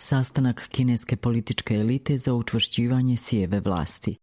Sastanak kineske političke elite za učvršćivanje Xijeve vlasti.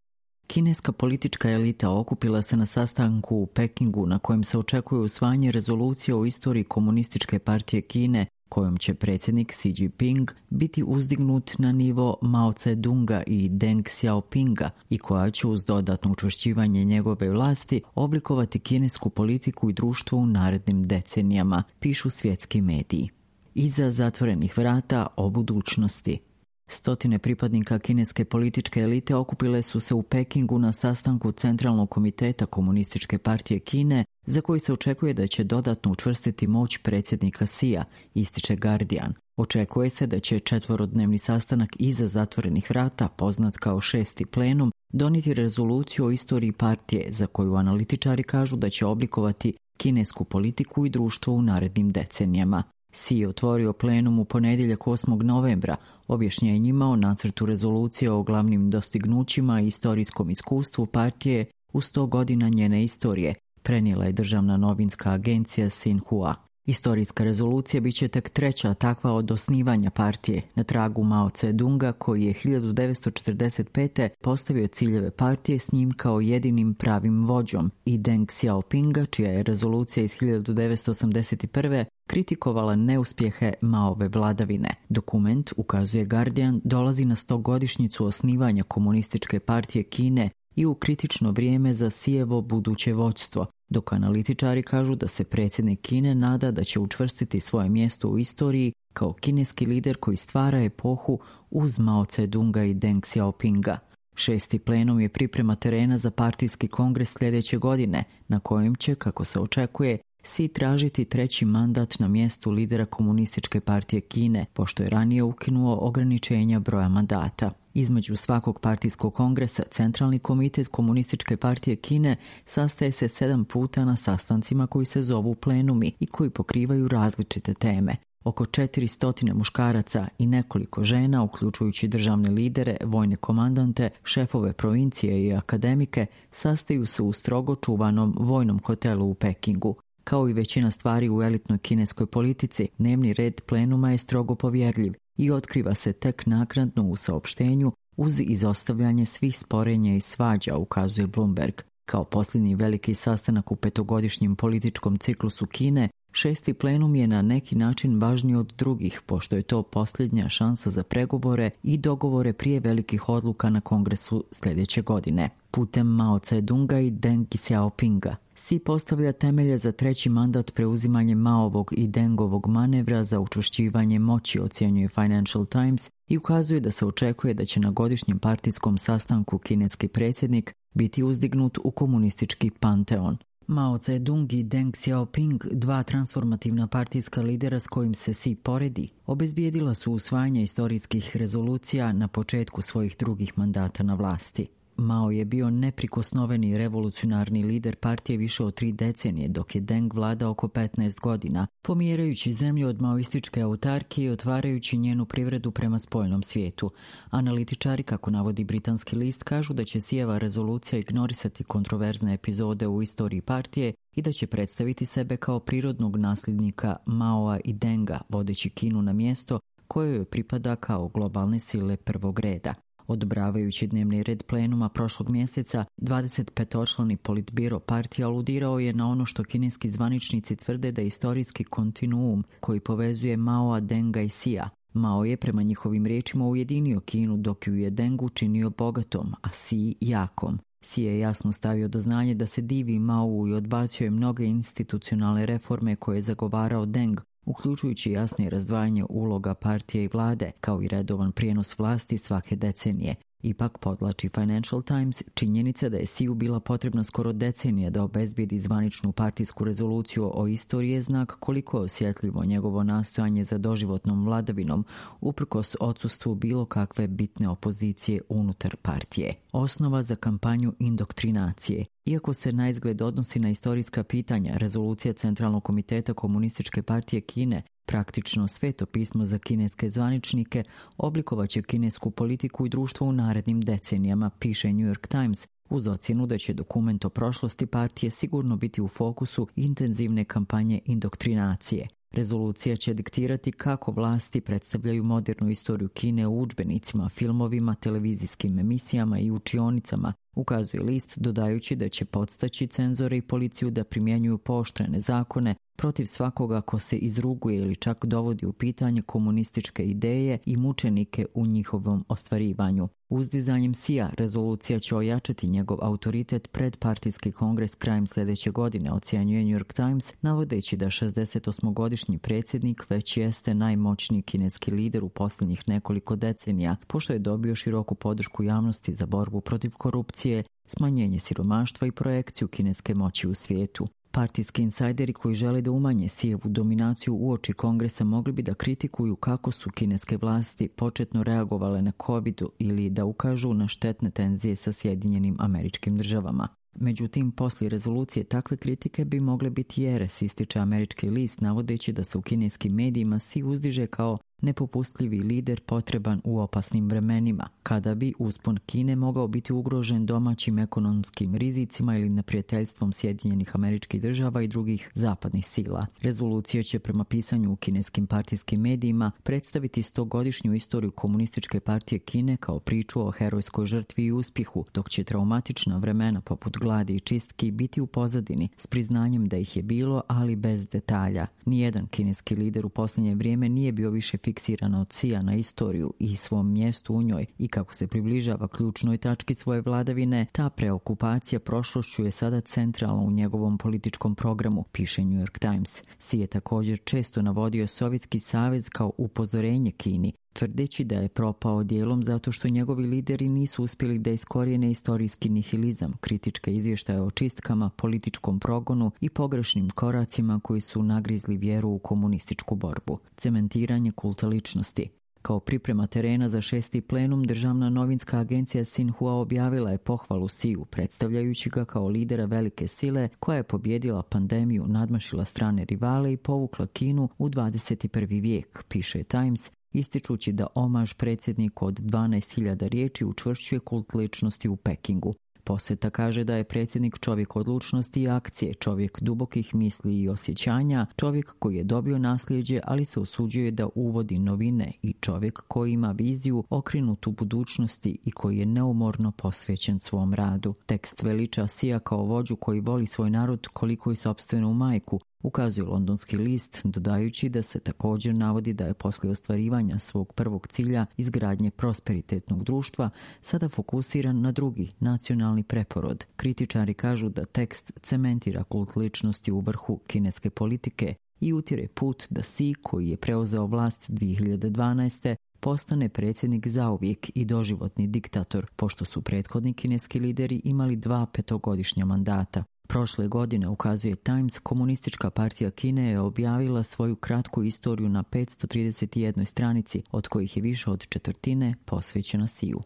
Kineska politička elita okupila se na sastanku u Pekingu na kojem se očekuje usvajanje rezolucije o istoriji komunističke partije Kine, kojom će predsjednik Xi Jinping biti uzdignut na nivo Mao Tse-dunga i Deng Xiaopinga i koja će uz dodatno učvršćivanje njegove vlasti oblikovati kinesku politiku i društvo u narednim decenijama, pišu svjetski mediji. Iza zatvorenih vrata o budućnosti. Stotine pripadnika kineske političke elite okupile su se u Pekingu na sastanku Centralnog komiteta Komunističke partije Kine, za koji se očekuje da će dodatno učvrstiti moć predsjednika Xija, ističe Guardian. Očekuje se da će četvorodnevni sastanak iza zatvorenih vrata, poznat kao 6. plenum, donijeti rezoluciju o istoriji partije, za koju analitičari kažu da će oblikovati kinesku politiku i društvo u narednim decenijama. Xi je otvorio plenum u ponedjeljak 8. novembra objašnjenjima o nacrtu rezolucije o glavnim dostignućima i istorijskom iskustvu partije u 100 godina njene istorije, prenijela je državna novinska agencija Xinhua. Istorijska rezolucija bit će tek treća takva od osnivanja partije, na tragu Mao Tse-dunga koji je 1945. postavio ciljeve partije s njim kao jedinim pravim vođom i Deng Xiaopinga, čija je rezolucija iz 1981. kritikovala neuspjehe Maove vladavine. Dokument, ukazuje Guardian, dolazi na 100-godišnjicu osnivanja Komunističke partije Kine i u kritično vrijeme za Xijevo buduće vođstvo, dok analitičari kažu da se predsjednik Kine nada da će učvrstiti svoje mjesto u istoriji kao kineski lider koji stvara epohu uz Mao Tse-dunga i Deng Xiaopinga. 6. plenum je priprema terena za partijski kongres sljedeće godine, na kojem će, kako se očekuje, Xi tražiti treći mandat na mjestu lidera Komunističke partije Kine, pošto je ranije ukinuo ograničenja broja mandata. Između svakog partijskog kongresa, Centralni komitet Komunističke partije Kine sastaje se 7 puta na sastancima koji se zovu plenumi i koji pokrivaju različite teme. Oko 400 muškaraca i nekoliko žena, uključujući državne lidere, vojne komandante, šefove provincije i akademike, sastaju se u strogo čuvanom vojnom hotelu u Pekingu. Kao i većina stvari u elitnoj kineskoj politici, dnevni red plenuma je strogo povjerljiv i otkriva se tek naknadno u saopštenju uz izostavljanje svih sporenja i svađa, ukazuje Bloomberg. Kao posljednji veliki sastanak u 5-godišnjem političkom ciklusu Kine, 6. plenum je na neki način važniji od drugih, pošto je to posljednja šansa za pregovore i dogovore prije velikih odluka na kongresu sljedeće godine. Putem Mao Tse-dunga i Deng Xiaopinga, Xi postavlja temelje za treći mandat preuzimanjem Maovog i Dengovog manevra za učvršćivanje moći, ocjenjuje Financial Times, i ukazuje da se očekuje da će na godišnjem partijskom sastanku kineski predsjednik biti uzdignut u komunistički panteon. Mao Tse-dung i Deng Xiaoping, dva transformativna partijska lidera s kojim se Xi poredi, obezbijedila su usvajanje istorijskih rezolucija na početku svojih drugih mandata na vlasti. Mao je bio neprikosnoveni revolucionarni lider partije više od 3 decenije, dok je Deng vladao oko 15 godina, pomjerajući zemlju od maoističke autarkije i otvarajući njenu privredu prema spoljnom svijetu. Analitičari, kako navodi britanski list, kažu da će Xijeva rezolucija ignorisati kontroverzne epizode u istoriji partije i da će predstaviti sebe kao prirodnog nasljednika Maoa i Denga, vodeći Kinu na mjesto koje joj pripada kao globalne sile prvog reda. Odobravajući dnevni red plenuma prošlog mjeseca, 25-člani politbiro partije aludirao je na ono što kineski zvaničnici tvrde da je istorijski kontinuum koji povezuje Maoa, Denga i Xija. Mao je prema njihovim riječima ujedinio Kinu, dok ju je Deng učinio bogatom, a Xi jakom. Xi je jasno stavio do znanja da se divi Maou i odbacio je mnoge institucionalne reforme koje je zagovarao Deng, uključujući jasnije razdvajanje uloga partije i vlade, kao i redovan prijenos vlasti svake decenije. Ipak, podvlači Financial Times, činjenica da je Xiju bila potrebna skoro decenija da obezbijedi zvaničnu partijsku rezoluciju o istoriji je znak koliko je osjetljivo njegovo nastojanje za doživotnom vladavinom, uprkos odsustvu bilo kakve bitne opozicije unutar partije. Osnova za kampanju indoktrinacije. Iako se na izgled odnosi na istorijska pitanja, rezolucija Centralnog komiteta Komunističke partije Kine, praktično sveto pismo za kineske zvaničnike, oblikovaće kinesku politiku i društvo u narednim decenijama, piše New York Times, uz ocjenu da će dokument o prošlosti partije sigurno biti u fokusu intenzivne kampanje indoktrinacije. Rezolucija će diktirati kako vlasti predstavljaju modernu istoriju Kine u udžbenicima, filmovima, televizijskim emisijama i učionicama, ukazuje list, dodajući da će podstaći cenzore i policiju da primjenjuju pooštrene zakone protiv svakoga ko se izruguje ili čak dovodi u pitanje komunističke ideje i mučenike u njihovom ostvarivanju. Uzdizanjem Xija rezolucija će ojačati njegov autoritet pred partijski kongres krajem sljedeće godine, ocjenjuje New York Times, navodeći da 68-godišnji predsjednik već jeste najmoćniji kineski lider u posljednjih nekoliko decenija, pošto je dobio široku podršku javnosti za borbu protiv korupcije, smanjenje siromaštva i projekciju kineske moći u svijetu. Partijski insajderi koji žele da umanje Xijevu dominaciju uoči kongresa mogli bi da kritikuju kako su kineske vlasti početno reagovale na COVID ili da ukažu na štetne tenzije sa Sjedinjenim Američkim Državama. Međutim, poslije rezolucije takve kritike bi mogle biti jeres, ističe američki list, navodeći da se u kineskim medijima Xi uzdiže kao nepopustljivi lider potreban u opasnim vremenima, kada bi uspon Kine mogao biti ugrožen domaćim ekonomskim rizicima ili neprijateljstvom Sjedinjenih Američkih Država i drugih zapadnih sila. Rezolucija će prema pisanju u kineskim partijskim medijima predstaviti 100-godišnju istoriju komunističke partije Kine kao priču o herojskoj žrtvi i uspjehu, dok će traumatična vremena poput gladi i čistki biti u pozadini s priznanjem da ih je bilo, ali bez detalja. Nijedan kineski lider u posljednje vrijeme nije bio više fiksiran od Xija na istoriju i svom mjestu u njoj i kako se približava ključnoj tački svoje vladavine, ta preokupacija prošlošću je sada centralna u njegovom političkom programu, piše New York Times. Xi je također često navodio Sovjetski savez kao upozorenje Kini, tvrdeći da je propao dijelom zato što njegovi lideri nisu uspjeli da iskorijene istorijski nihilizam, kritičke izvještaje o čistkama, političkom progonu i pogrešnim koracima koji su nagrizli vjeru u komunističku borbu. Cementiranje kulta ličnosti. Kao priprema terena za 6. plenum, državna novinska agencija Xinhua objavila je pohvalu Xiju, predstavljajući ga kao lidera velike sile koja je pobjedila pandemiju, nadmašila strane rivale i povukla Kinu u 21. vijek, piše Times, ističući da omaž predsjedniku od 12.000 riječi učvršćuje kult ličnosti u Pekingu. Posjeta kaže da je predsjednik čovjek odlučnosti i akcije, čovjek dubokih misli i osjećanja, čovjek koji je dobio nasljeđe, ali se usuđuje da uvodi novine i čovjek koji ima viziju okrenutu budućnosti i koji je neumorno posvećen svom radu. Tekst veliča Xija kao vođu koji voli svoj narod koliko i sopstvenu majku, ukazuje londonski list, dodajući da se također navodi da je poslije ostvarivanja svog prvog cilja, izgradnje prosperitetnog društva, sada fokusiran na drugi, nacionalni preporod. Kritičari kažu da tekst cementira kult ličnosti u vrhu kineske politike i utire put da Xi, koji je preuzeo vlast 2012. postane predsjednik zauvijek i doživotni diktator, pošto su prethodni kineski lideri imali 2 petogodišnja mandata. Prošle godine, ukazuje Times, komunistička partija Kine je objavila svoju kratku istoriju na 531 stranici, od kojih je više od četvrtine posvećena Xiju.